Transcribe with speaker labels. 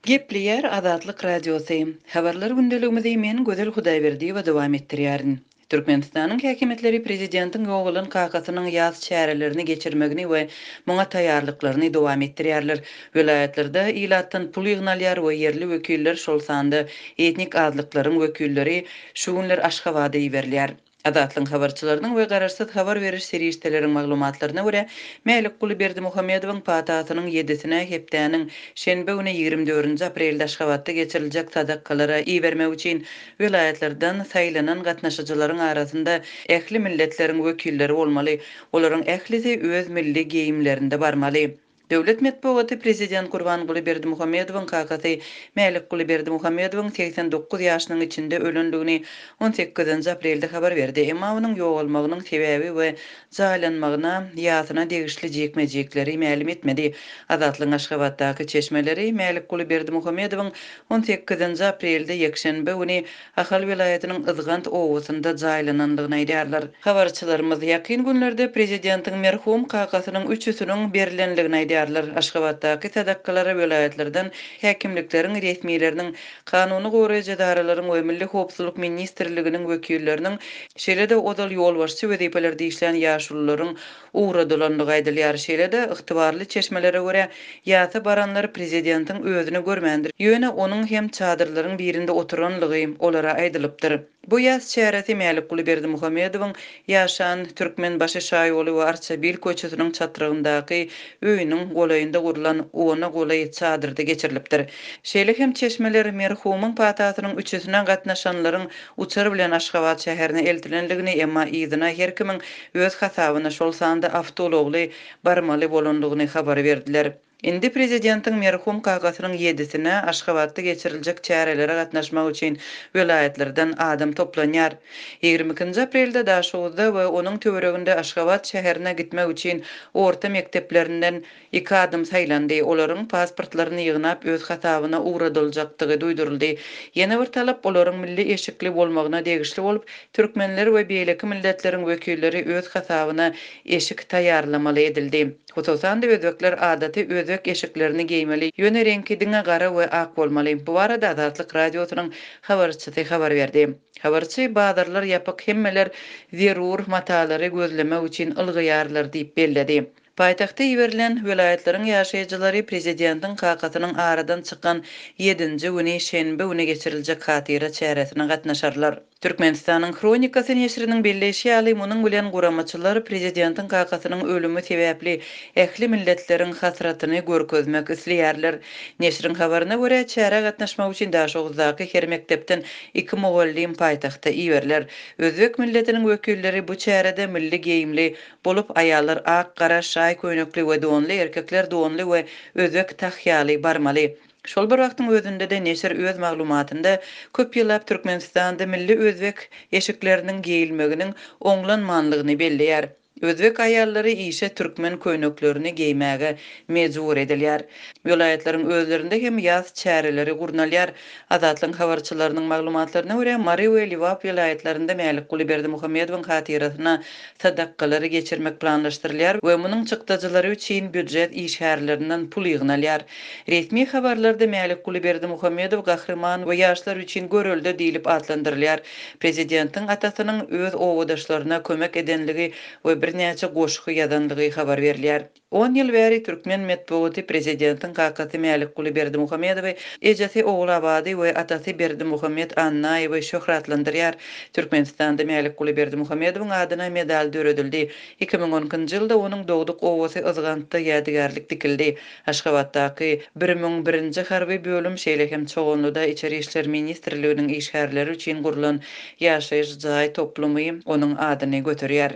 Speaker 1: Gepleýär Azatlyk Radiosy. Habarlar gündeligimizi men, Gözel Hudaýberdiýewa dowam etdirýärin. Türkmenistanyň häkimiýetleri prezidentiň ýogalan kakasynyň ýas çärelerini geçirmegini we muňa taýýarlyklaryny dowam etdirýärler. Welaýatlarda ilatdan pul ýygnalýar we ýerli wekiller, şol sanda etnik azlyklaryň wekilleri şu günler Aşgabada iberilýär. Azatlygyň habarçylarynyň we garaşsyz habar beriş serişdeleriň maglumatlaryna görä, Mälikguly Berdimuhamedowyň patasynyň ýedisine hepdäniň şenbe güni 24-nji aprelde Aşgabatda geçiriljek sadakalara ibermek üçin welaýatlardan saýlanan gatnaşyjylaryň arasynda ähli milletleriň wekilleri bolmaly, olaryň ählisi öz milli geýimlerinde barmaly. Döwlet metbugaty prezident Gurbanguly Berdimuhamedowyň kakasy Mälikguly Berdimuhamedowyň 89 ýaşynyň içinde ölendigini on sekizinji aprelde habar berdi, emma onuň ýogalmagynyň sebäbi we jaýlanmagyna, ýasyna degişli jikme-jikleri mälim etmedi. Azatlygyň Aşgabatdaky çeşmeleri Mälikguly Berdimuhamedowyň on sekizinji aprelde, ýekşenbe güni Ahal welaýatynyň Yzgant obasynda jaýlanandygyny aýdýarlar. Habarçylarymyz ýakyn günlerde prezidentiň merhum kakasynyň üçüsiniň berlendigini aýdýarlar. Aşgabatdaky sadakalara welaýatlardan häkimlikleriň resmileriniň, kanuny goraýjy edaralaryň we Milli howpsuzlyk ministrliginiň wekilleriniň, şeýle-de ozal ýolbaşçy wezipelerde işlän ýaşulularyň ugradylandygy aýdylýar. Şeýle-de, ygtybarly çeşmelere görä, ýasa baranlar prezidentiň özüni görmändir, ýöne onuň hem çadyrlaryň birinde oturanlygy olara aýdylypdyr. Bu ýas çäresi Mälikguly Berdimuhamedowyň ýaşan Türkmenbaşy şaýoly we Arçabil köçesiniň çatrygyndaky öýüniň golaýynda gurlan ona golaý çadyrda geçirilipdir. Şeýle hem çeşmeler merhumyň patasynyň üçüsine gatnaşanlaryň uçar bilen Aşgabat şäherine eltilendigini, emma yzyna her kimiň öz hasabyna, şol sanda awtoulagly barmaly bolandygyny habar berdiler. Indi prezidentiň merhum kakasynyň ýedisine Aşgabatda geçiriljek çärelere gatnaşmak üçin welaýatlardan adam toplanýar. 22-nji aprelde Daşoguzda we onuň töwereginde Aşgabat şäherine gitmek üçin orta mekdeplerinden Iki adam saýlandy. Olaryň pasportlaryny ýygnap, öz hasabyna ugradyljakdygy duýduryldy. Ýene bir talap olaryň milli eşikli bolmagyna degişli bolup, türkmenler we beýleki milletleriň wekilleri öz hasabyna eşik taýýarlamaly edildi. Hususan-da, özbekler adaty özbek eşiklerini geýmeli, ýöne reňki diňe gara we ak bolmaly. Bu barada Azatlyk Radiosynyň habarçysy habar berdi. Habarçy, Bazarlar ýapyk, hemmeler zerur matalary gözlemek üçin ylgaýarlar diýip belledi. Paýtagta iberilen welaýatlaryň ýaşaýjylary prezidentiň kakasynyň aradan çykan ýedinji güni şenbe güni geçiriljek hatyra çäresine gatnaşarlar. Türkmenistanyň Hronikasy neşiriniň belleýşi ýaly, munuň bilen guramaçylar prezidentiň kakasynyň ölümi sebäpli ähli milletleriň hasratyny görkezmek isleýärler. Neşiriň habaryna görä, çärä gatnaşmak üçin Daşoguzdaky her mekdepden iki mugallym paýtagta iberiler. Özbek milletiniň wekilleri bu çärede milli geýimli Bolup, aýallar ak, gara, şaý köýnekli we donly, erkekler donly we özbek tahýaly barmaly. Şol bir wagtyň özünde-de neşir öz maglumatynda köp ýyllap Türkmenistanda milli özbek eşikleriniň geýilmeginiň oňlanmanlygyny belleýär. Özbek aýallary işe türkmen köýneklerini geýmäge mejbur edilýär. Welaýatlaryň özlerinde hem ýas çäreleri gurnalýar. Azatlygyň habarçylarynyň maglumatlaryna görä, Mary we Lebap welaýatlarynda Mälikguly Berdimuhamedowyň hatyrasyna sadakalary geçirmek planlaşdyrylýar we munuň çykdajylary üçin býujet işgärlerinden pul ýygnalýar. Resmi habarlarda Mälikguly Berdimuhamedow gahryman we ýaşlar üçin görelde diýlip atlandyrylýar. Prezidentiň atasynyň öz obadaşlaryna kömek edenligi we birnäçe goşgy ýazanlygy habar berilýär. On ýyl bäri türkmen metbugaty prezidentiň kakasy Mälikguly Berdimuhamedowy, ejesi Ogulabady we atasy Berdimuhamet Annaýewi şöhratlandyrýar. Türkmenistanda Mälikguly Berdimuhamedowyň adyna medal döredildi. 2012-nji ýylda onuň dogduk obasy Yzgantda ýadygärlik dikildi. Aşgabatdaky 1001-nji harby bölüm, şeýle hem Çoganlyda Içeri işler ministrliginiň işgärleri üçin gurlan ýaşaýyş jaý toplumy onuň adyny göterýär.